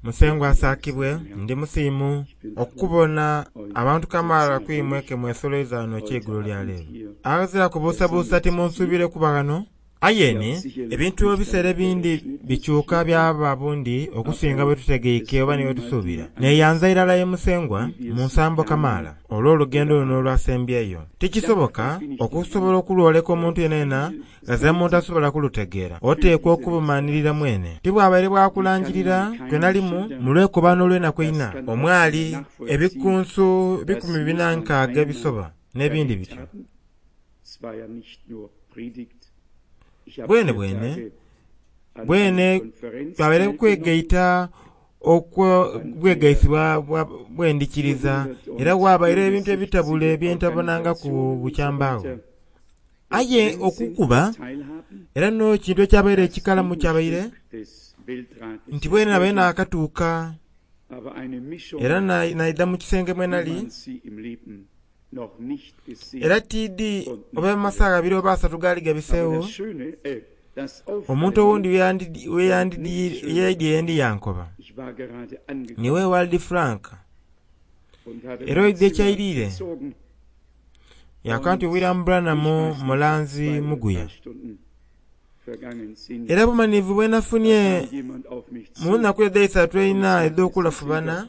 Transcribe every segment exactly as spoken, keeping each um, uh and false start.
Musengwa asaakibwe ndi musiimu okubona abantu kamaala kwimwe ke mwesoloiza wano ekyeigulo lya leero. Aghazira kubuusabuusa timunsuubire kuba ghano. Aye ebintu ebiseera ebindi bikyuka byaba bundi okusinga bwe tutegeike oba ni bwe tusuubira. Neeyanza irala ye Musengwa mu nsambo kamaala olw'olugendo luno olwasembyeyo. Tikisoboka okusobola okulwoleka omuntu yenayena ghazira muntu asobola kulutegeera. Oteekwa okubumanhirira mwene. Tibwabaire bwakulangirira kwenalimu mu lwekobano olw'enaku eina omwali ebikunsu bikumi bina nkaaga ebisoba n'ebindi bityo. Bwene bwene bwene twabaire kwegaita okwo bwegaisi bwendikiriza era wabaire ebintu ebitabule byentabonangaku bukyambagho. Aye okukuba era n'ekintu ekyabaire ekikalamu kyabaire nti bwene nabaire nakatuuka era naidha mu kisenge mwenali era tiidi oba amasaagha abiri oba asatu gaali gabiseegho omuntu owundi weyaidye yendi yankoba niwe Waldi Frank era oidha ekyairire yakoba nti William Branham mulanzi muguya. Era bumanhivu bwenafunye mu nnaku edh'eisatu eina edh'okulafubana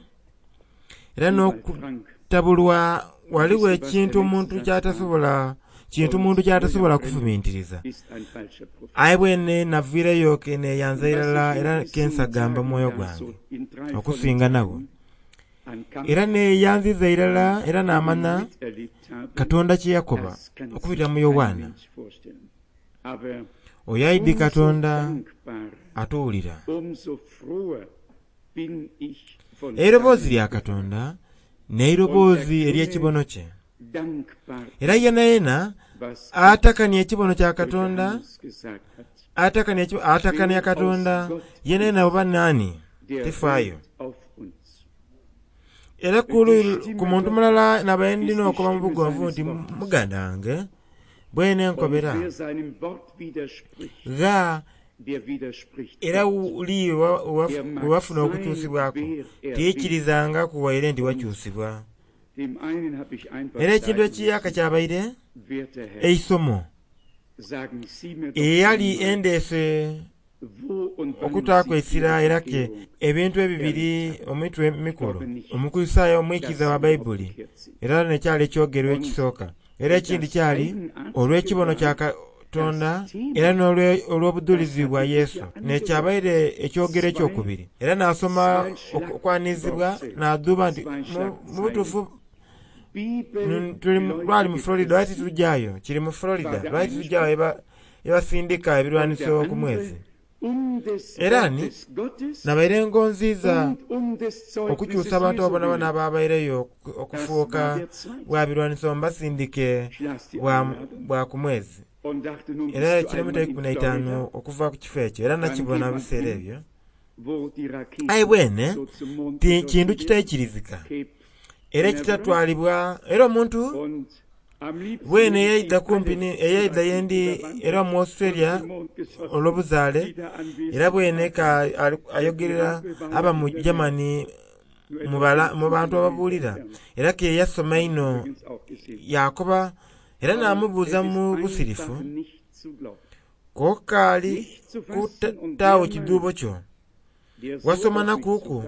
era n'okutabulwa ghaligho ekintu omuntu kyatasobola kintu muntu kyatasobola kufumintiriza. Aye bwene naviireyo ke neeyanza irala era kensagamba mwoyo gwange okusinga nagho. Era neeyanziza irala era naamanya Katonda kye yakoba okubitira mu Yowaana. Oyo aidhi Katonda atuwulira. Eiroboozi lya Katonda n'eiroboozi ery'ekibono kye. Era yena yena atakania ekibono kya Katonda atakania atakania Katonda yena yena oba nani tifaayo. Era ku muntu mulala nabaire ndina okuba mu bugonvu nti muganda wange bwene nkobera gha era li wewafuna okukyusibwaku tiikirizangaku waire nti wakyusibwa. Era ekintu ekiyaka kyabaire eisomo eyali endeese okutaaku essira era ke ebintu ebibiri omitwe emikulu Omukristaayo omwikiriza wa Baibuli era nekyali ekyogerwa ekisooka era ekindi kyali olw'ekibono kya Katonda era n'olw'obudhulizi bwa Yesu nekyabaire ekyogero ekyokubiri. Era nasoma okwanizibwa nadhuuba nti mu butuufu lwali mu Florida lwaki titujaayo kiri mu Florida lwaki titujaayo ebasindika ebirwaniso ku mwezi. Era ni nabaire ngonziza okukyusa abantu abonabona ababaireyo okufuuka bwa birwaniso mbasindike bwa ku mwezi. Era kilomita ikumi na itaanu okuva ku kifo ekyo era nakibona mu biseera ebyo. Aye bwene ti kintu kitaikirizika era ekitatwalibwa era omuntu bwene eyaidha kumpi eyaidha yendi era mu Australia olw'obuzaale era bwene ka ayogerera aba mu Germany mu bantu ababuulira era ke yasoma inho yakoba era namubuuza mu busirifu kokaali kutaawo kidhuubo kyo wasoma nakuku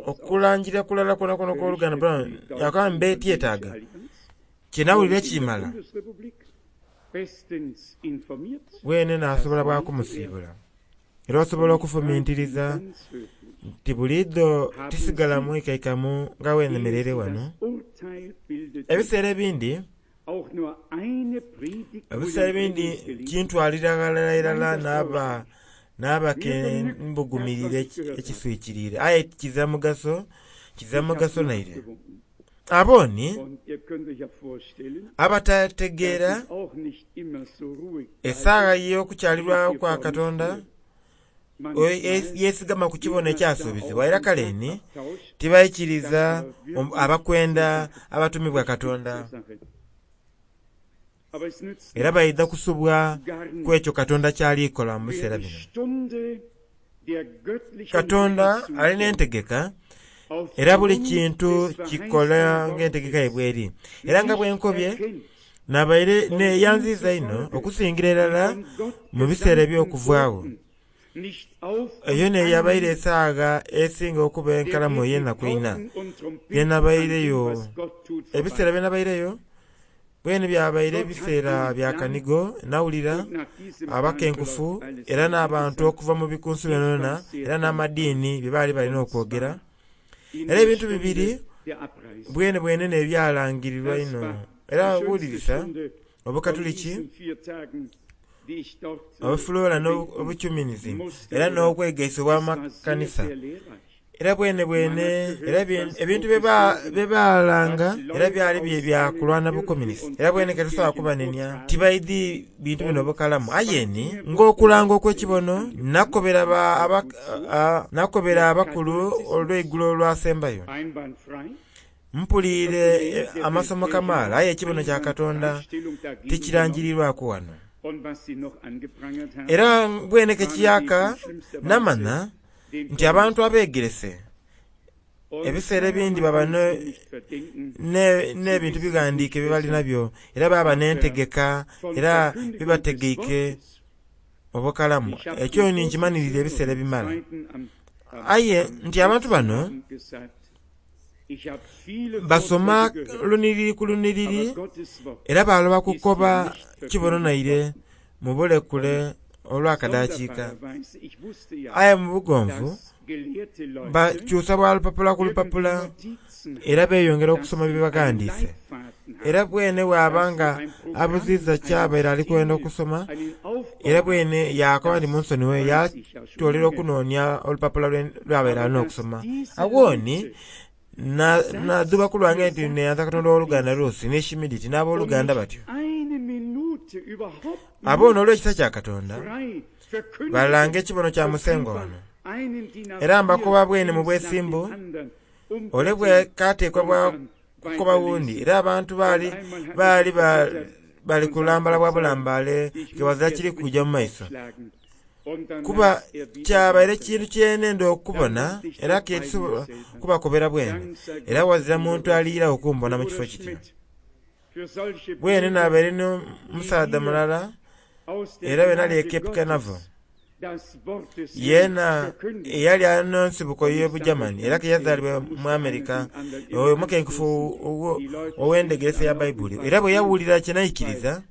okulangira kulala kwonakwo okw'oluganda Branham yakoba mbe tyetaaga kyenawulira ekimala bwene nasobola bwakumusiibula. Era osobola okufumintiriza nti buliidho tisigala mwikaikamu nga wenemereire wano. Ebiseera ebindi ebiseera ebindi kintwalira ghalala irala naba naba ke mbugumirire ekiswikirire aye kizira mugaso kizira mugaso naire. Abooni abatategeera esaagha y'okukyalirwa kwa Katonda yesigama ku kibono ekyasuubizibwa era kale ni tibaikiriza abakwenda abatumibwa Katonda era baidha kusubwa ku ekyo Katonda kyalikola mu biseera bino. Katonda alina entegeka era buli kintu kikola ng'entegeka ye bweri. Era nga bwenkobye nabaire neyanziza inho okusingira irala mu biseera eby'okuvaagho. Eyo neyabaire esagha esinga okuba enkalamu ey'enaku eina gyenabaireyo. Ebiseera byenabaireyo bwene byabaire ebiseera bya kanigo, nawulira abakenkufu era n'abantu okuva mu bikunsu byonabyona era n'amadiini bye baali balina okwogera. Era ebintu bibiri bwene bwene n'ebyalangirirwa einho. Era wulirisa Obukatuliki, Obufulola n'Obukyuminisimu era n'obwegaise obw'amakanisa. Era bwene bwene era ebintu bye baalanga era byali bya kulwana bukomunisiti. Era bwene ke tusobola kubanenia tibaidhi bintu bino bukalamu. Aye ni ng'okulanga okw'ekibono nakobera nakobera abakulu olw'eigulo olwasembayo. Mpuliire amasomo kamaala aye ekibono kya Katonda tikirangirirwaku wano. Era bwene ke kiyaka namanha nti abantu abegerese ebiseera ebindi baba n'ebintu bighandiike bye bali nabyo era baba n'entegeka era bibategeike obukalamu. Ekyo ni nkimanhirire ebiseera ebimala. Aye nti abantu bano basoma lunhiriri ku lunhiriri era baloba kukoba kibono naire mu bulekule olw'akadakiika. Aye mu bugonvu bakyusa bwa lupapula ku lupapula era beyongera okusoma bye baghandiise. Era bwene bwaba nga abuziiza kyabaire ali kwenda okusoma era bwene yakoba nti munsonighe yatoolera okunoonia olupapula lwabaire alina okusoma. Agho ni nadhuba ku lwange nti neyanza Katonda ow'oluganda Rusi ni Shimiditi n'aboluganda batyo. Abo n'olw'ekisa kya Katonda balanga ekibono kya Musengwa wano. Era mbakoba bwene mu bwesimbu ole bwe kateekwa bwa kukoba wundi era abantu baali baali bali kulambala bwa bulambale kewazira kiri kuja mu maiso. Kuba kyabaire kintu kyenenda okubona era kyetusobola kubakobera bwene era wazira muntu aliira okumbona mu kifo kityo. Bwene nabaire n'omusaadha mulala era bwe nali e Cape Canaveral yeena eyali alina ensibuko y'Obujamani era ke yazaalibwa mu Amerika omukenkufu ow'endhegeresa ya Baibuli. Era bwe yawulira kye naikiriza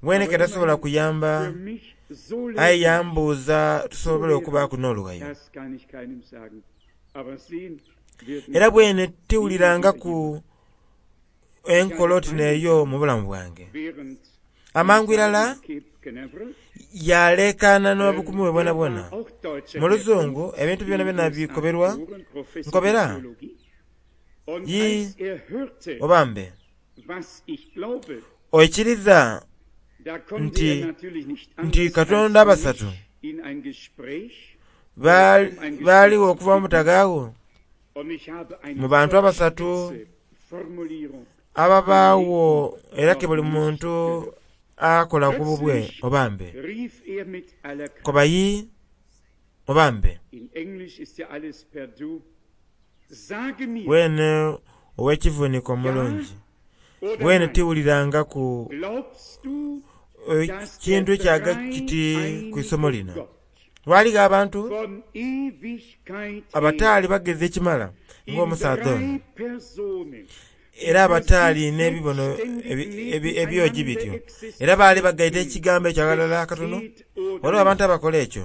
bwene ke tasobola kuyamba aye yambuuza tusobole okubaaku n'olughayo. Era bwene tiwulirangaku enkola oti n'eyo mu bulamu bwange. Amangu irala yalekaana n'obukumu bwe bwonabwona. Mu luzungu ebintu byonabyona bikoberwa nkobera yi obambe oikiriza nti nti Katonda abasatu baaliwo okuva mu butagaagho mu bantu abasatu ababaagho era ke buli muntu akola ku bubwe obambe. Koba yi obambe. Bwene ow'ekivuniko omulungi bwene tiwulirangaku kintu ekyaga kiti ku isomo lino. Ghaligho abantu abataali bagezi ekimala ng'omusaadha ono era abataali n'ebibono ebyogi bityo era baali bagaita ekigambo ekyo aghalala akatono. Waliwo abantu abakola ekyo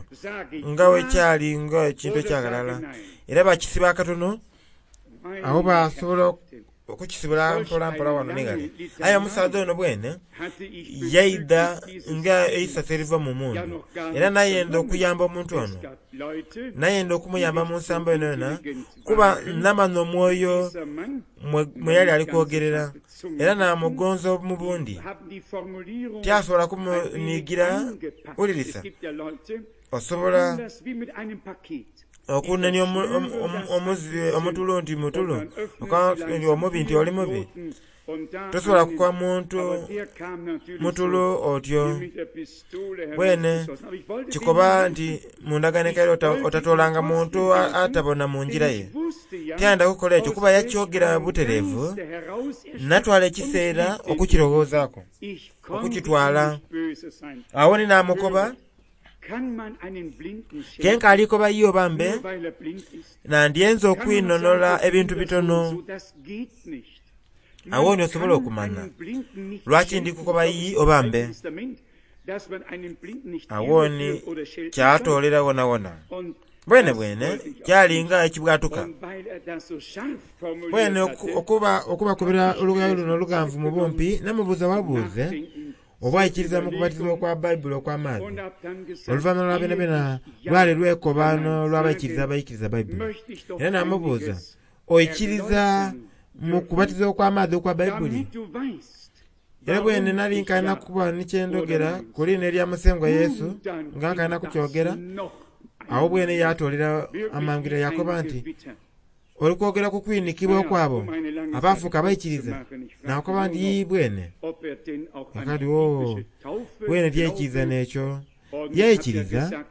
nga wekyali nga ekintu ekyaghalala era bakisiba akatono agho basobola okukisibula mpola mpola wano ni ghale. Aye omusaadha ono bwene yaidha nga eisasi eriva mu mundu era nayenda okuyamba omuntu ono, nayenda okumuyamba mu nsambo yonayona kuba namanha omwoyo mwe yali ali kwogerera era namugonza mu bundi. Tyasobola kumuniigira wulirisa osobola okunenia omutulo nti mutulo, omubi nti oli mubi. Tosobola kukoba muntu mutulu otyo. Bwene kikoba nti mu ndagaano enkaire otatoolanga muntu atabona mu ngira ye. Tiyanda kukola ekyo kuba yakyogera butereevu, natwala ekiseera okukirowoozaaku, okukitwala. Awo ni naamukoba, kenkaali koba ye oba mbe, nandyenze okwinhonola ebintu bitono. Awo ni osobola okumanya lwaki ndi kukoba iyi oba mbe. Awo ni kyatoolera wonawona. Bwene bwene kyalinga ekibwatuka. Bwene okuba okubakubira olugayo luno olughanvu mu bumpi, namubuuza wabuuze oba aikiriza mu kubatizibwa okwa Bayibuli okw'amaadhi. Oluvannyuma lwa byonabyona lwali lwekobaano lw'abaikiriza abaikiriza Bayibuli. Era namubuuza, oikiriza mu kubatizibwa okw'amaadhi okwa Bayibuli? Era bwene nali nkalina kuba ni kyendhogera ku liina erya Musengwa Yesu, nga nkalina kukyogera, awo bwene yatoolera amangu yakoba nti, oli kwogera ku kwinikibwa okwabo abaafuuka abaikiriza? Nakoba nti ii bwene. Akati oo, bwene tyaikiriza n'ekyo. Yaikiriza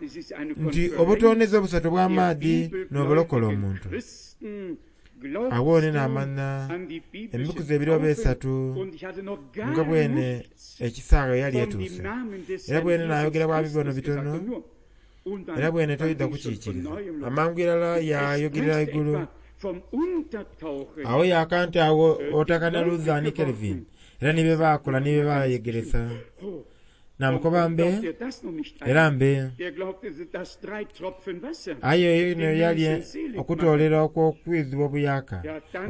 nti obutoneze obusatu obw'amaadhi n'obulokola omuntu. Awo ni naamanya emikuzi ebiri oba esatu nga bwene ekisaawe yali etuuse. Era bwene naayogera bwa bibono bitono, era bwene toidha kukiikiriza. Amangu irala yayogerera igulu. Awo yaka nti awo otakana Luther ni Calvin, era ni bye baakola ni bye baayegeresa. Namukoba mbe, era mbe. Aye eno yali okutoolera okw'okwidhibwa obuyaka,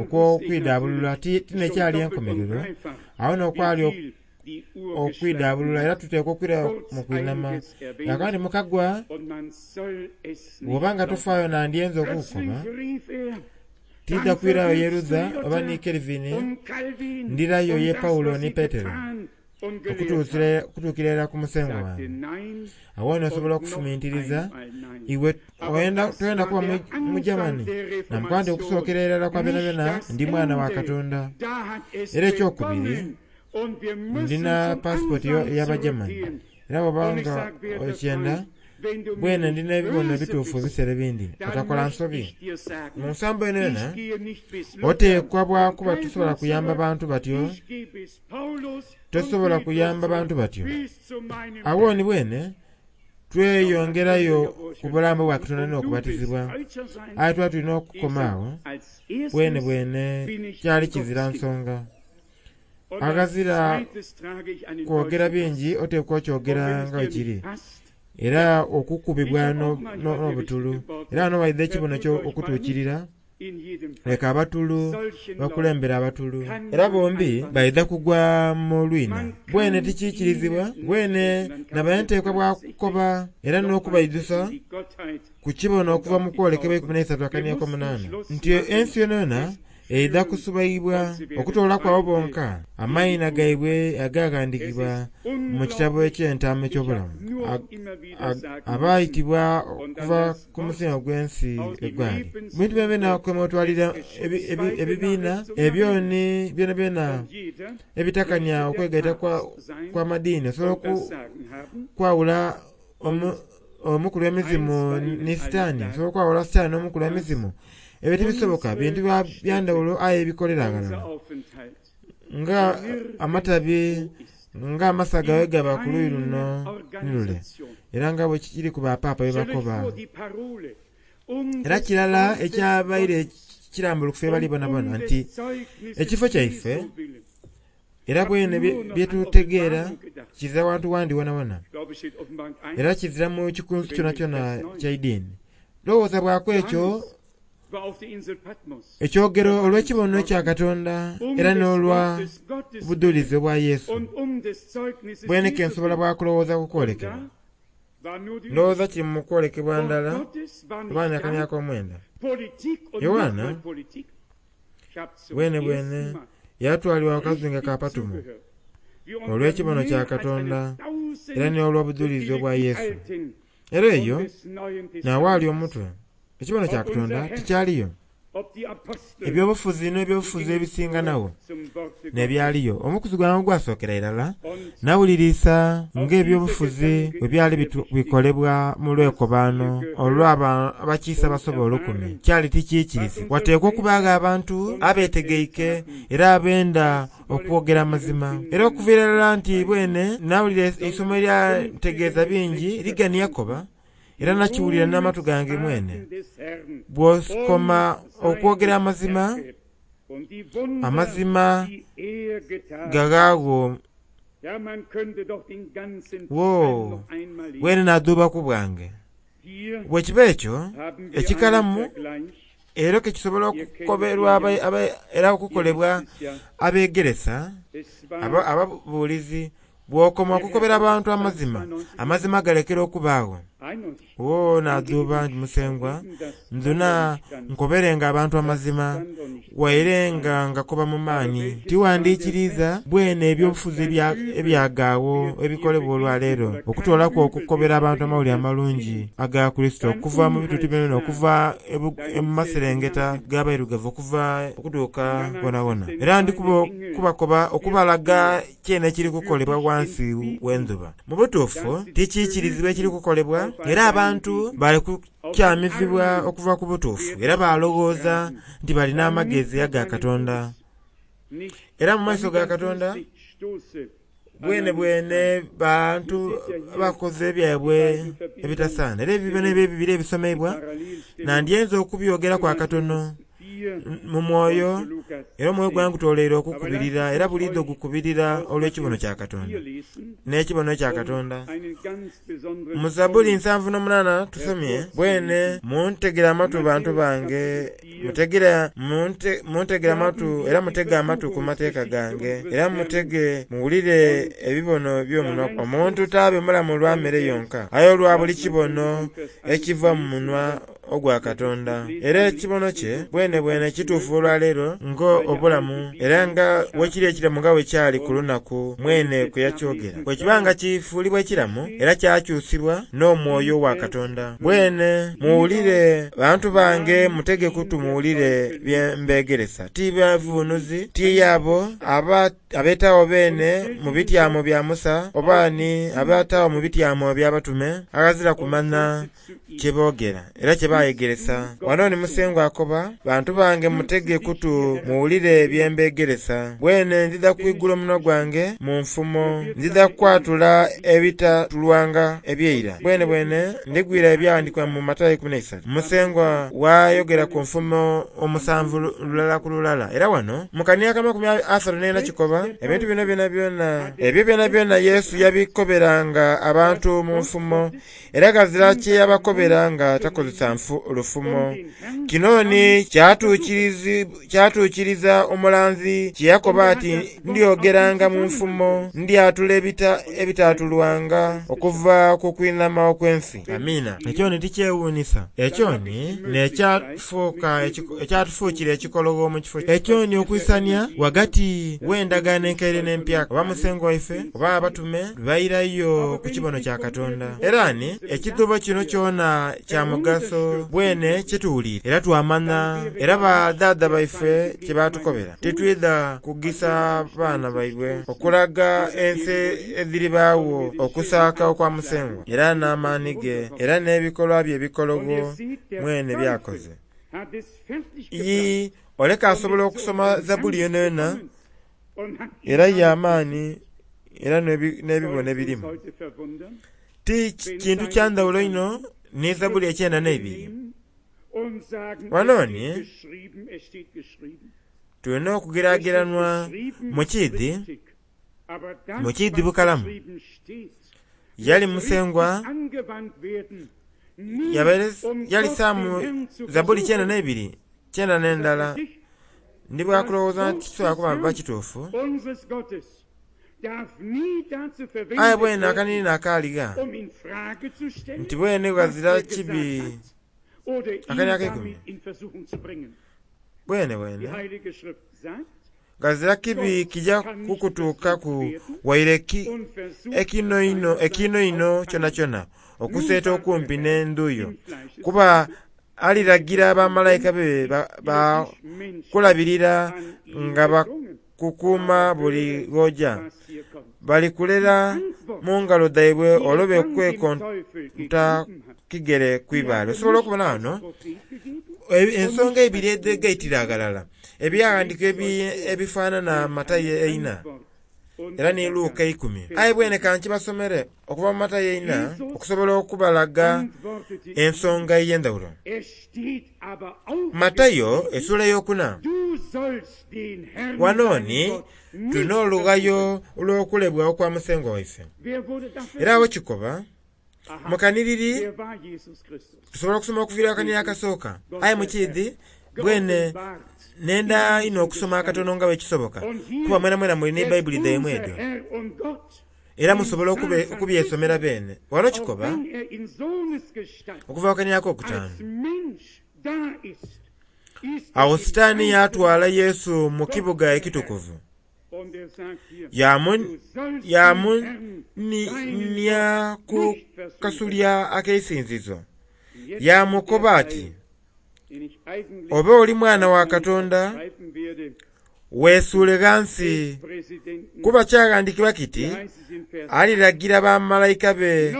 okw'okwidhaabulula tinekyali enkomerero. Awo n'okwali okwidhaabulula era tuteekwa okwira mu kwinama. Yagamba nti mukagwa, bw'oba nga tofaayo nandyenze okukukoba, tidha kwirayo ye Luther oba ni Calvin, ndirayo ye Paulo ni Petero, okutuukira irala ku Musengwa wange. Awo n'osobola okufumintiriza iwe toyenda kuba Mugermani? Namukoba nti okusookera irala kwa byonabyona ndi mwana wa Katonda. Era ekyokubiri, ndina pasipoti ey'Abagermani. Era bw'oba nga okyenda, bwene ndina ebibono ebituufu ebiseera ebindi, otakola nsobi. Mu nsambo eno yona, oteekwa bwa kuba tosobola kuyamba bantu batyo, tosobola kuyamba bantu batyo. Awo ni bwene, tweyongerayo ku bulambo bwa Katonda n'okubatizibwa. Aye twali tulina okukoma awo, bwene bwene kyali kizira nsonga. Aghazira kwogera bingi oteekwa okyogera nga bwe kiri. Era okukubibwa n'obutulu. Era wano waidha ekibono okutuukirira, leka abatulu bakulembere abatulu. Era bombi baidha kugwa mu lwina. Bwene tikiikirizibwa, bwene nabaire nteekwa bwa kukoba era n'okubaidhusa ku kibono okuva mu kwolekebwa eikumi n'eisatu akaniya ak'omunaana nti ensi yonayona eidha kusubaibwa okutoolaku abo bonka amaina gaibwe agaghandhiikibwa mu kitabo eky'entaama eky'obulamu, abaayitibwa okuva ku musingi ogw'ensi egwali. Bintu byonabyona kwemwetwalira ebibiina ebyo ni byonabyona ebitakania okwegaita kw'amadiini osobola okwawula omukulu w'emizimu ni Sitaani, osobola okwawula Sitaani n'omukulu w'emizimu. Ebyo tibisoboka, bintu bya ndhawulo aye ebikolera ghalala. Nga amatabi nga amasaga bwe gaba ku luuyi luno ni lule, era nga bwe kiri ku bapaapa bye bakoba. Era kirala ekyabaire kirambulukufu ye bali bonabona nti ekifo kyaife era bwene byetutegeera kizira wantu wandi wonawona, era kizira mu kikunsu kyonakyona kya idiini. Lowooza bwaku ekyo ekyogero olw'ekibono kya Katonda era n'olwa budhulizi obwa Yesu. Bwene ke nsobola bwa kulowooza ku kwolekebwa. Ndowooza kiri mu kwolekebwa ndala oba akaniya ak'omwenda. Yoanna bwene bwene yatwalibwa ku kazinga ka Patumo olw'ekibono kya Katonda era n'olw'obudhulizi obwa Yesu. Era eyo n'awaali omutwe. Ekibono kya Katonda tikyaliyo. Ebyobufuzi n'ebyobufuzi ebisinganawo n'ebyaliyo. Omukuzi gwange ogwasookera irala nawulirisa ng'ebyobufuzi bwe byali bikolebwa mu lwekobaano olw'abakiise abasoba olukumi. Kyali tikiikirizi. Wateekwa okubagho abantu abeetegeike era abenda okwogera amazima. Era okuviira irala nti bwene nawulira eisomo eryantegeeza bingi ligani yakoba era nakiwulira n'amatu gange mwene. Bw'okoma okwogera amazima, amazima gaghaagho wo bwene nadhuubaku bwange. Bwe kiba ekyo ekikalamu era kekisobola okukoberwa era okukolebwa abeegeresa ababuulizi. Bw'okoma okukobera abantu amazima, amazima galekera okubaagho. Wo nadhuuba nti Musengwa ndhuna nkoberenga abantu amazima waire nga ngakoba mu maani. Tiwandiikiriza bwene ebyobufuzi ebyagaawo ebikolebwa olwaleero okutoolaku okukobera abantu amawulire amalungi aga Kurisito okuva mu bituuti byona okuva mu maserengeta g'abairugavu okuva okutuuka wonawona. Era ndi kubakoba okubalaga kyene ekiri kukolebwa wansi w'endhuba. Mu butuufu tikiikirizibwa ekiri kukolebwa era abantu bali kukyamizibwa okuva ku butuufu era balowooza nti balina amagezi aga Katonda. Era mu maiso ga Katonda bwene bwene bantu bakoze ebyabwe ebitasaana. Era ebibono ebyo ebibiri ebisomeibwa nandyenze okubyogeraku akatono mu mwoyo era omwoyo gwange gutoleire okukubirira era buliidho gukubirira olw'ekibono kya Katonda n'ekibono kya Katonda. Mu Zabbuli nsanvu n'omunaana tusomye bwene muntegere amatu bantu bange, mutegere muntegere amatu era mutege amatu ku mateeka gange era mutege muwulire ebibono by'omunwa. Omuntu taabe mulamu lwa mere yonka aye olwa buli kibono ekiva mu munwa ogwa Katonda. Era ekibono kye bwene bwene kituufu olwaleero ng'obulamu era nga wekiri ekiramu nga wekyali ku lunaku mwene kwe yakyogera. Bwe kiba nga kifuulibwa ekiramu era kyakyusibwa n'omwoyo wa Katonda. Bwene muwulire bantu bange mutege kutu muwulire bye mbeegeresa. Ti bavuunuzi ti abo abeetaawo beene mu bityamo bya Musa oba ni abeetaawo mu bityamo by'abatume aghazira kumanya kye boogera era kye bayegeresa. Wano ni Musengwa akoba bantu bange mutege kutu muwulire bye mbeegeresa. Bwene ndidha kwigula omunwa gwange mu nfumo, ndidha kwatula ebitatulwanga ebyeira. Bwene bwene ndigwira ebyawandiikibwa mu Matayo ikumi n'eisatu. Musengwa wayogera ku nfumo omusanvu lulala ku lulala. Era wano mu kania ak'amakumi asatu n'ena kikoba ebintu bino byona byona ebyo byona byona Yesu yabikoberanga abantu mu nfumo era ghazira kye yabakobera nga takozesa lufumo. Kino ni kyatuukiriza omulanzi kye yakoba ati ndyogeranga mu nfumo ndyatula ebitatulwanga okuva ku kwinhama okw'ensi. Amiina. Ekyo ni tikyewuunisa. Ekyo ni n'ekyatufuukira ekikologho mu kifo. Ekyo ni okwisania ghagati w'endagaano enkaire n'empyaka oba Musengwa waife oba abatume bairayo ku kibono kya Katonda. Era ni ekidhuubo kino kyona kya mugaso bwene kyetuwulire era twamanya era badhaadha baife kye batukobera. Titwidha kugisa baana baibwe okulaga ensi edhiribaagho okusaaka okwa Musengwa era n'amaani ge era n'ebikolwa bye ebikologho mwene byakoze. Ii oleka asobola okusoma Zabbuli yonayona era y'amaani era n'ebibono ebirimu. Ti kintu kya ndhawulo inho ni Zabbuli ekyenda n'eibiri. Wano ni tulina okugerageranwa mu kiidhi, mu kiidhi bukalamu. Yali Musengwa yalisaamu Zabbuli kyenda n'eibiri kyenda n'endala. Ndi bwakulowooza nti kisobola kuba kituufu. Aye bwene akanini akaaligha nti bwene ghazira kibi akani ak'eikumi bwene bwene ghazira kibi kija kukutuukaku waire ekino inho kyonakyona okuseeta okumpi n'endhu yo, kuba Aliragira bamalayika be bakulabirira nga bakukuuma buli gh'oja. Balikulera mu ngalo dhaibwe olobe kwekonta kigere ku ibaale. Osobola okubona ghano ensonga ibiri edhegaitira aghalala, ebyawandiikibwa ebifanhanha Matayo eina era ni Luka eikumi. Aye bwene kankibasomere okuva mu Matayo eina okusobola okubalaga ensonga ey'endhaghulo. Matayo esula ey'okuna. Ghano ni tulina olughayo olw'okulebwa okwa Musengwa waife. Era agho kikoba mu kanhiriri tusobola okusoma okuviira akanhiriri akasooka. Aye mukiidhi bwene nenda inho okusoma akatono nga bwekisoboka kuba mwenamwena muli ni Baibuli dhaimwe edho era musobola okubyesomera beene. Ghano kikoba okuva ku kanhiriri akokutaanu. Agho Sitaani yaatwala Yesu mu kibuga ekitukuvu, yaamuniinia ku kasolya ak'eisinzizo, yaamukoba ati, "Oba oli Mwana wa Katonda, weesuule ghansi, kuba kyaghandiikibwa kiti, aliragira bamalayika be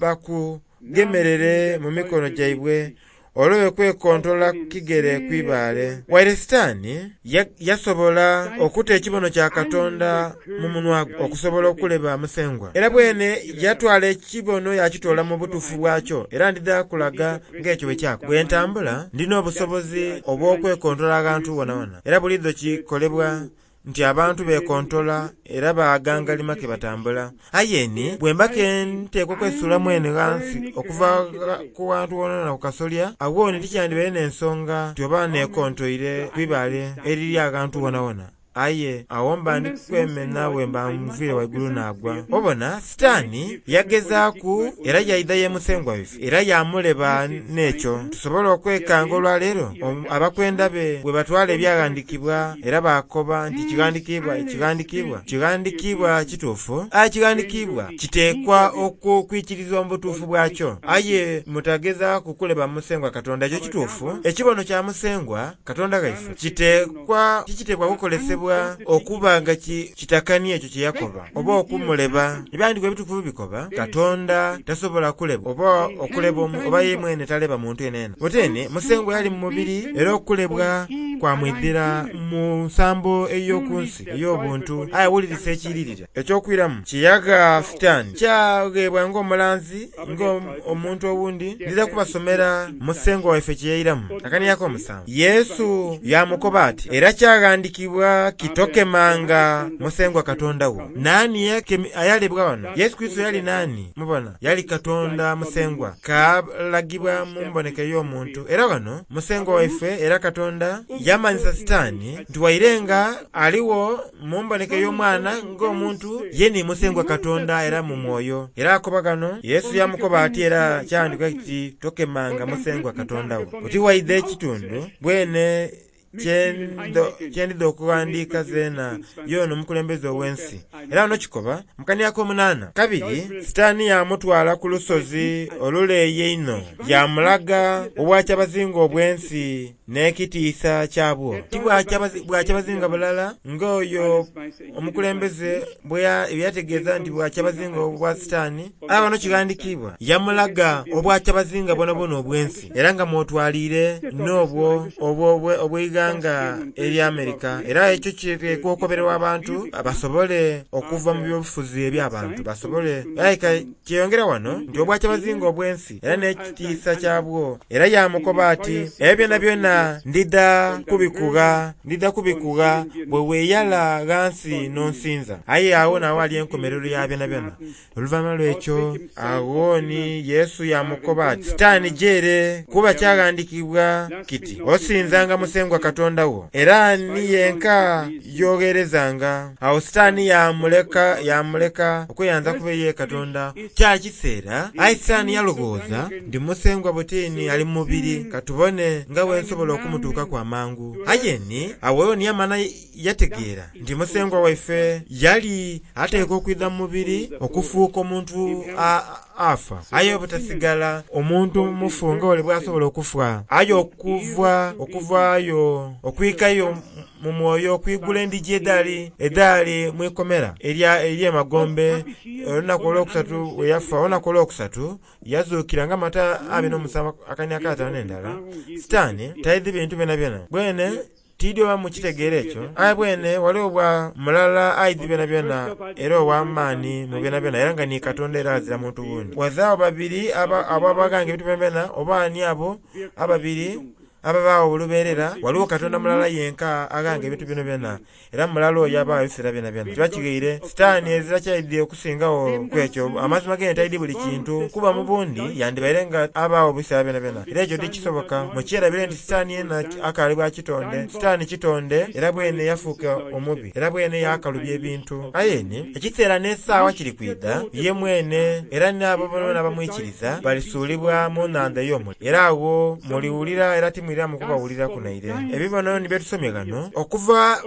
bakugemerere mu mikono gyaibwe, olobe kwekontola kigere ku ibaale." Waire Sitaani yasobola okuta ekibono kya Katonda mu munwa gwe okusobola okuleba Musengwa. Era bwene yatwala ekibono yakitoola mu butuufu bwakyo, era ndidha kulaga ng'ekyo bwe kyakola. Bwe ntambula ndina obusobozi obw'okwekontola aghantu wonawona, era buliidho kikolebwa nti abantu bekontola era bagangalima ke batambula. Aye ni bwemba ke nteekwa okwesuula mwene ghansi okuva ku ghantu wonawona ku kasolya, agho ni tikyandibaire n'ensonga nti oba nekontoire ku ibaale eriri aghantu wonawona. Aye agho mba ndi kwemena bwemba nviire ghaigulu naagwa. Obona, Sitaani yagezaaku era yaidha ye Musengwa waife era yaamuleba n'ekyo. Tusobola okwekanga olwaleero abakwenda be bwe batwala ebyaghandiikibwa era baakoba nti kighandiikibwa, kighandiikibwa, kighandiikibwa kituufu. Aye kighandiikibwa kiteekwa okwikirizibwa mu butuufu bwakyo. Aye mutagezaaku kuleba Musengwa Katonda, ekyo kituufu. Ekibono kya Musengwa Katonda ghaife kiteekwa tikiteekwa kukolesebwa okuba nga kitakania ekyo kye yakoba oba okumuleba. Ebyawandiikibwa ebitukuvu bikoba Katonda tasobola kulebwa oba okuleba oba ye mwene taleba muntu yenayena. Oteni Musengwa yali mu mubiri era okulebwa kwamwidhira mu nsambo ey'oku nsi ey'obuntu. Aye wulirisa ekiiririra eky'okwiramu kye yagha Sitaani kyagheebwa ng'omulanzi ng'omuntu owundi. Ndidha kubasomera Musengwa waife kye yairamu. Akanhiriri ak'omusanvu. Yesu yaamukoba ati, Era kyaghandiikibwa kiti tokemanga Musengwa Katonda wo. Naani ayalebwa ghano? Yesu Kurisito yali naani? Mubona, yali Katonda Musengwa, kaalagibwa mu mboneka ey'omuntu. Era ghano Musengwa waife era Katonda yamanhisa Sitaani nti waire nga aligho mu mboneka ey'omwana ng'omuntu, ye ni Musengwa Katonda era mu mwoyo. Era akoba ghano, Yesu yaamukoba ati era kyaghandiikibwa kiti tokemanga Musengwa Katonda wo. Oti waidha ekitundu bwene kye ndidha okughandiika zeena yoona omukulembeze ow'ensi. Era ghano kikoba mu kanhiriri ak'omunaana, Kabiri Sitaani yaamutwala ku lusozi oluleeyi einho, yaamulaga obwakyabazinga obw'ensi n'ekitiisa kyabwo. Ti bwakyabazinga bulala ng'oyo omukulembeze bwe yategeeza nti bwakyabazinga obwa Sitaani. Aye ghano kighandikiibwa, yamulaga obwakyabazinga bwonabwona obw'ensi, era nga mw'otwaliire n'obwo obw'eighanga erya Amerika. Era ekyo kiteekwa okoberwa abantu basobole okuva mu by'obufuzi eby'abantu basobole. Aye kyeyongera ghano nti obwakyabazinga obw'ensi era n'ekitiisa kyabwo. Era yaamukoba ati, Ebyo byonabyona ndidha kubikugha, ndidha kubikugha bwe weeyala ghansi n'onsinza. Aye agho n'aghali enkomerero ya byonabyona. Oluvanhuma lw'ekyo, agho ni Yesu yaamukoba ati, Sitaani ja ere, kuba kyaghandiikibwa kiti, Osinzanga Musengwa Katonda wo, era ni yenka y'ogheerezanga. Agho Sitaani yaamuleka yaamuleka okweyanza kube ye Katonda. Kyali kiseera, aye Sitaani yaloghooza nti Musengwa butini ali mu mubiri, ka tubone nga bwe nsobola okumutuukaku amangu. Aye ni agho ni yamala yategeera nti Musengwa waife yali ateekwa okwidha mu mubiri okufuuka omuntu afa aye obutasigala omuntu mufu nga ole bw'asobola okufa, aye okuva okuvaayo okwikayo mu mwoyo okwigula endhigi edhaali edhaali mu ikomera ery'emagombe. Olunaku olwokusatu bwe yafa, olunaku olwokusatu yazuukira nga Matayo abiri n'omusanvu akania akataanu n'endala. Sitaani taidhi bintu byonabyona. Bwene tiidhi oba mukitegeera ekyo, aye bwene ghaligho bwa mulala aidhi byonabyona era ow'amaani mu byonabyona era nga ni Katonda era azira muntu wundi. Ghazaagho babiri abo abaghanga ebintu byonabyona oba ani abo ababiri ababaagho olubeerera. Ghaligho Katonda mulala yenka aghanga ebintu byonabyona, era mulala oyo abaagho ebiseera byonabyona. Kiba kighaire Sitaani ezira kyaidhi okusingagho ku ekyo. Amazima gene taidhi buli kintu, kuba mu bundi yandibaire nga abaagho ebiseera byonabyona, era ekyo tikisoboka. Mukyerabire nti Sitaani yena akaali bwa kitonde. Sitaani kitonde, era bwene yafuuka omubi, era bwene yaakalubya ebintu. Aye ni ekiseera n'esaawa kiri kwidha, ye mwene era n'abo boonaboona abamwikiriza balisuulibwa mu nhandha ey'omuliro. Era agho muliwulira era timwiramu kubawuliraku naire. Ebibono ni bye tusomye ghano okuva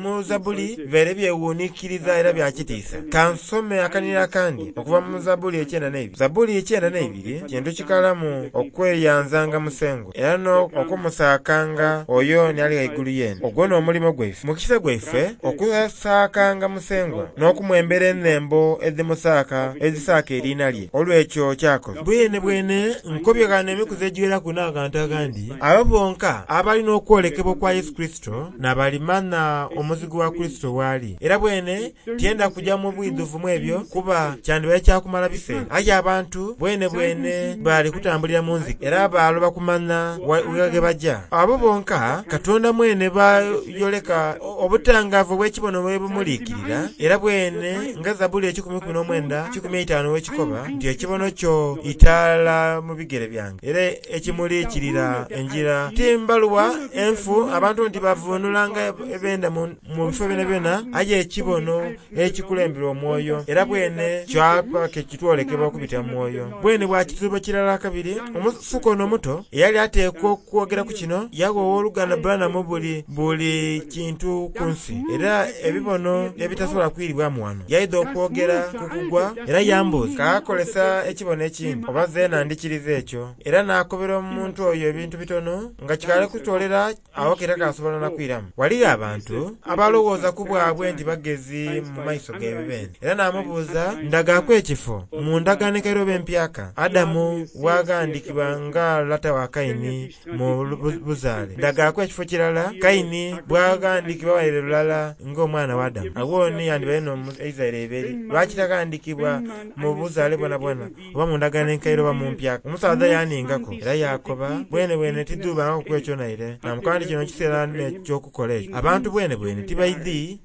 mu Zabbuli bibaire byewuunikiriza era bya kitiisa. Ka nsome akanhiriro akandi okuva mu Zabbuli ekyenda n'eibiri. Zabbuli ekyenda n'eibiri kintu kikalamu okweyanzanga Musengwa era n'okumusaakanga oyo ni Ali Ghaigulu Yeene. Ogwo n'omulimo gwaife. Mukisa gwaife okusaakanga Musengwa n'okumwembera enhembo edhimusaaka edhisaaka eriina lye olw'ekyo ky'akoze. Bwenebwene nkobye ghano emikuzi egiweraku n'abantu aghandi, abo bonka abali n'okwolekebwa okwa Yesu Kurisito n'abalimanha omuzigu wa Kurisito waali. Era bwene tyenda kuja mu bwidhuvu mu ebyo kuba kyandibaire kya kumala biseera. Aye abantu bwenebwene bali kutambulira mu nzika era baaloba kumanha wa ghe baja. Abo bonka Katonda mwene b'ayoleka obutangaavu obw'ekibono bwe bumuliikirira, era bwene nga Zabbuli ekikumi ikumi n'omwenda kikumi eitaanu bw'ekikoba nti, Ekibono kyo itaala mu bigere byange, era ekimuliikirira engira. Ti mbaluwa enfu abantu nti bavuunulanga ebenda mu bifo byonabyona, aye ekibono ekikulemberwa omwoyo, era bwene kyaba ke kitwolekebwa okubita mu mwoyo. Bwene bwa kidhuubo kirala kabiri, omusuka ono omuto eyali ateekwa okwogera ku kino, yagha Ow'oluganda Branham buli buli kintu ku nsi, era ebibono ebitasobola kwiribwamu wano. Yaidha okwogera ku kugwa, era yambuuza, Kaakozesa ekibono ekindi, oba zeena ndikiriza ekyo? Era naakobera omuntu oyo ebintu bitono, nga kikaali kutoolera agho ke takasobola na kwiramu. Ghaligho abantu abalowooza ku bwabwe nti bagezi mu maiso gaibwe beene. Era naamubuuza, Ndagaaku ekifo mu Ndagaano Enkaire oba Empyaka, Adamu bw'aghandikibwa nga lata wa Kaini mu buzaale? Ndagaaku ekifo kirala Kaini bw'aghandikibwa waire lulala ng'omwana wa Adamu? Agho ni yandibaire n'Omuisiraeli eiberi. Lwaki taghandikibwa mu buzaale bwonabwona, oba mu Ndagaano Enkaire oba mu Mpyaka? Omusaadha yaaningaku era yaakoba, Bwenebwene tidhuubangaku ku ekyo naire. Naamukoba nti kino kiseera n'eky'okukola ekyo. Abantu bwenebwene tibaidhi.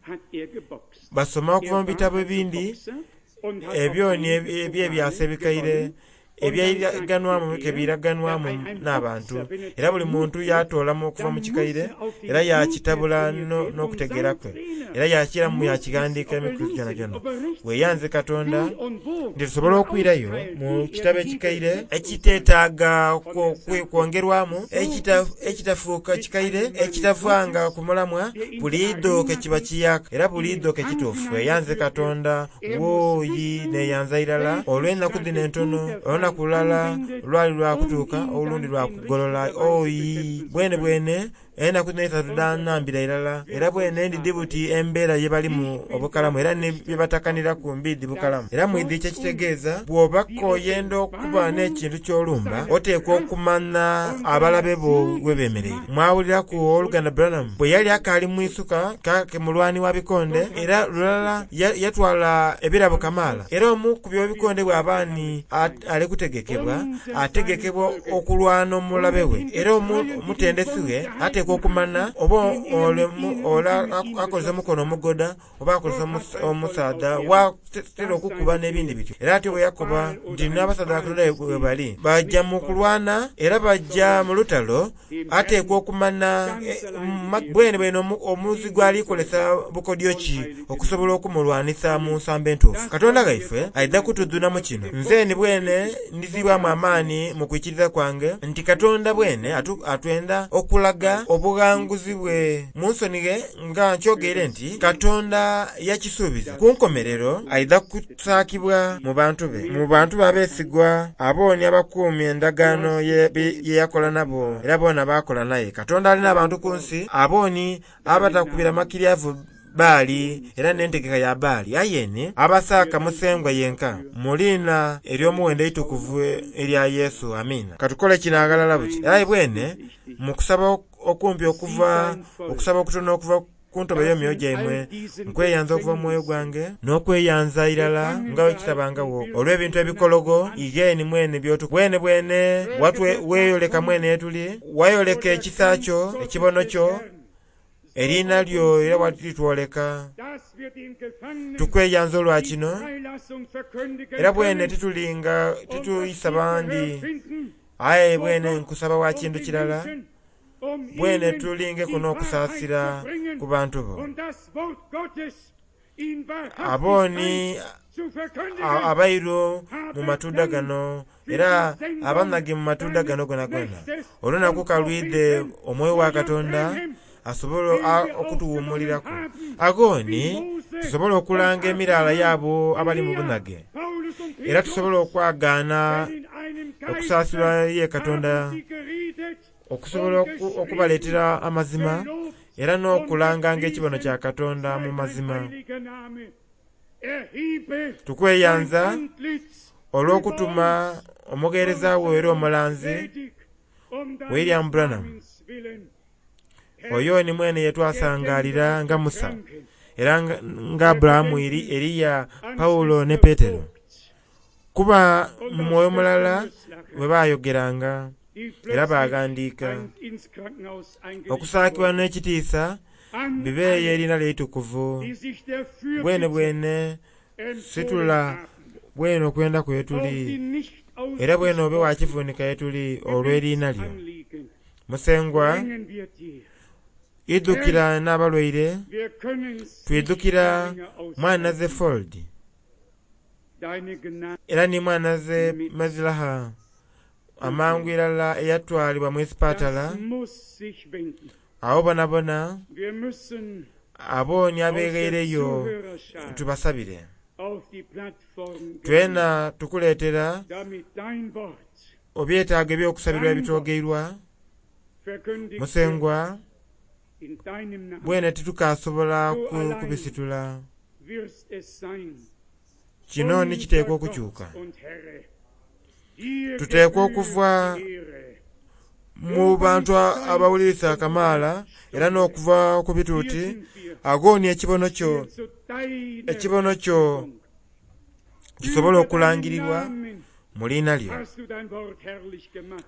Basoma okuva mu bitabo ebindi ebyo ni eby'ebyasa ebikaire ebyairaganwamu ke biiraganwamu n'abantu, era buli muntu yaatoolamu okuva mu kikaire era yaakitabula n'okutegeera kwe, era yaakiiramu yaakighandiika emikuzi gyonagyona. Weeyanze Katonda nti tusobola okwirayo mu kitabo ekikaire ekiteetaaga kwongerwamu, ekitafuuka kikaire, ekitavanga ku mulamwa, buliidho ke kiba kiyaaka era buliidho ke kituufu. Weeyanze Katonda, wooyi neeyanza irala olw'enaku dhino entono, olunaku lulala lwali lwa kutuuka olundi lwa kugolola. Ooyi, bwenebwene enaku dhino eisatu dhaanambira irala, era bwene ndidhi buti embeera ye balimu obukalamu era ni bye batakaniraku mbiidhi bukalamu. Era mwidhi kye kitegeeza, bw'oba k'oyenda okuba n'ekintu ky'olumba, oteekwa okumanha abalabe bo we beemereire. Mwawuliraku Ow'oluganda Branham bwe yali akaali mwisuka kake mulwani wa bikonde, era lulala yatwala ebirabo kamaala. Era omukubi w'ebikonde bw'aba ni ali kutegekebwa, ategekebwa okulwana omulabe we. Era omutendesi we ateekwa okumanha oba ole akozesa omukono omugoda oba akozesa omusaadha w'atera okukuba n'ebindi bityo. Era atyo bwe yakoba nti n'abasaadha ba Katonda bwe bali, baja mu kulwana era baja mu lutalo Ateekwa okumana bwene bwene omuzigu ali kukozesa bukodyo ki okusobola okumulwanisa mu nsambo entuufu. Katonda ghaife aidha kutudhunamu kino. Nze ni bwene ndhiziibwamu amaani mu kwikiriza kwange nti Katonda bwene atwenda okulaga obughanguzi bwe. Munsonighe nga nkyogeire nti Katonda yakisuubiza. Ku nkomerero aidha kusaakibwa mu bantu be, mu bantu be abeesigwa, abo ni abakuuma endagaano ye yakola nabo era boona baakola naye. Katonda alina abantu ku nsi abo ni abatakubira makiryavu Baali era n'entegeka ya Baali, aye ni abasaaka Musengwa yenka, mu liina ery'omuwendo eitukuvu erya Yesu. Amiina. Katukole kino aghalala buti. Era aye bwene mu kusaba okumpi okuva, okusaba okutono okuva ku ntobo y'emyoyo gyaimwe, nkweyanza okuva mu mwoyo gwange, n'okweyanza irala nga bwe kitabangagho olw'ebintu ebikologo ighe ni mwene by'otu. Bwene bwene weeyoleka mwene ye tuli, wayoleka ekisa kyo, ekibono kyo, eriina lyo era walitwoleka. Tukweyanza olwa kino, era bwene titulinga tituyisa bandi, aye bwene nkusaba wa kintu kirala, bwene tulingeku n'okusaasira ku bantu bo. Abo ni abairu mu matunda gano era abanhage mu matunda gano gonagona. Olunaku ka lwidhe omwoyo wa Katonda asobole okutuwuumuliraku. Agho ni tusobole okulanga emiraala y'abo abali mu bunhage, era tusobole okwagaana okusaasirwa ye Katonda, okusobola okubaleetera amazima era n'okulanganga ekibono kya Katonda mu mazima. Tukweyanza olw'okutuma omugheereza wo era omulanzi William Branham, oyo ni mwene ye twasangaalira nga Musa era nga Aburahamu, Eliya, Paulo ne Petero, kuba mu mwoyo mulala bwe baayogeranga era baaghandiika. Okusaakibwa n'ekitiisa bibeeyo eriina lye eitukuvu. Bwene bwene situla bwene okwenda kwe tuli, era bwene obe wa kivunika ye tuli olw'eriina lyo. Musengwa, idhukira n'abalwaire, twidhukira mwanhaze Ford era ni mwanhaze Mezilaha amangu irala eyatwalibwa mu isipatala. Agho bonabona abo ni abeghaireyo tubasabire. Twena tukuleetera ebyetaago eby'okusabirwa ebitwogeirwa. Musengwa, bwene titukasobola kubisitula. Kino ni kiteekwa okukyuka. Tuteekwa okuva mu bantu abawulirisa kamaala era n'okuva ku bituuti. Agho ni ekibono kyo, ekibono kyo kisobole okulangirirwa mu liina lyo.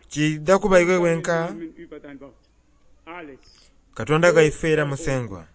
Kiidha kuba iwe wenka, Katonda ghaife era Musengwa.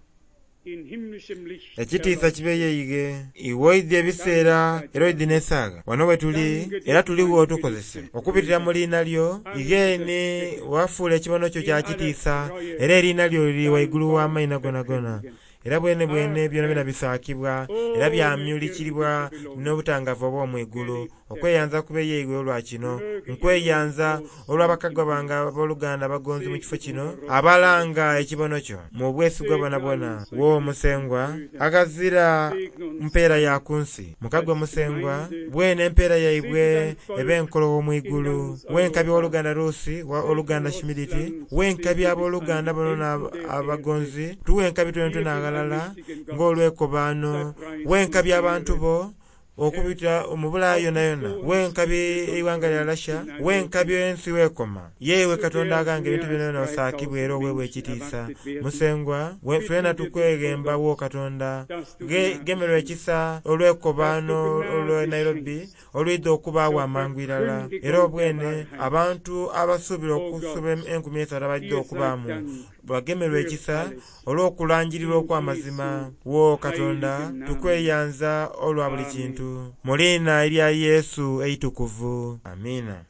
Ekitiisa kibe yeighe. Iwe oidhi ebiseera era oidhi n'esaagha. Wano we tuli era tuligho otukozese okubitira mu liina lyo. Ighe ni wafuula ekibono kyo kya kitiisa era eriina lyo liri waigulu w'amaina gonagona. Era bwene bwene byonabyona bisaakibwa era byamyulikiribwa n'obutangavu obw'omwigulu. Okweyanza kube yeighe olwa kino. Nkweyanza olw'abakagwa bange abooluganda abagonzi mu kifo kino abalanga ekibono kyo mu bwesigwa bwonabwona. Wo Musengwa, aghazira mpeera ya ku nsi. Mukagwa Musengwa, bwene empeera yaibwe ebe enkologho mu igulu. Wenkabi ow'oluganda Rusi, oluganda Shimiditi, wenkabi abooluganda bonabona abagonzi, tuwenkabi twenatwena aghalala ng'olwekobaano, wenkabi abantu bo okubita mu Bulaaya yonayona, wenkabi eighanga lya Russia, wenkabi ensi wekoma. Ye iwe Katonda aghanga ebintu byonabyona osaakibwe era oweebwe ekitiisa. Musengwa, twena tukweghemba wo Katonda, gemerwa ekisa olwekobaano olw'e Nairobi olwidha okubaagho amangu irala. Era obwene abantu abasuubira okusoba enkumi eisatu abaidha okubaamu bagemerwe ekisa olw'okulangirirwa okw'amazima. Wo Katonda, tukweyanza olwa buli kintu. Mu liina erya Yesu eitukuvu. Amiina.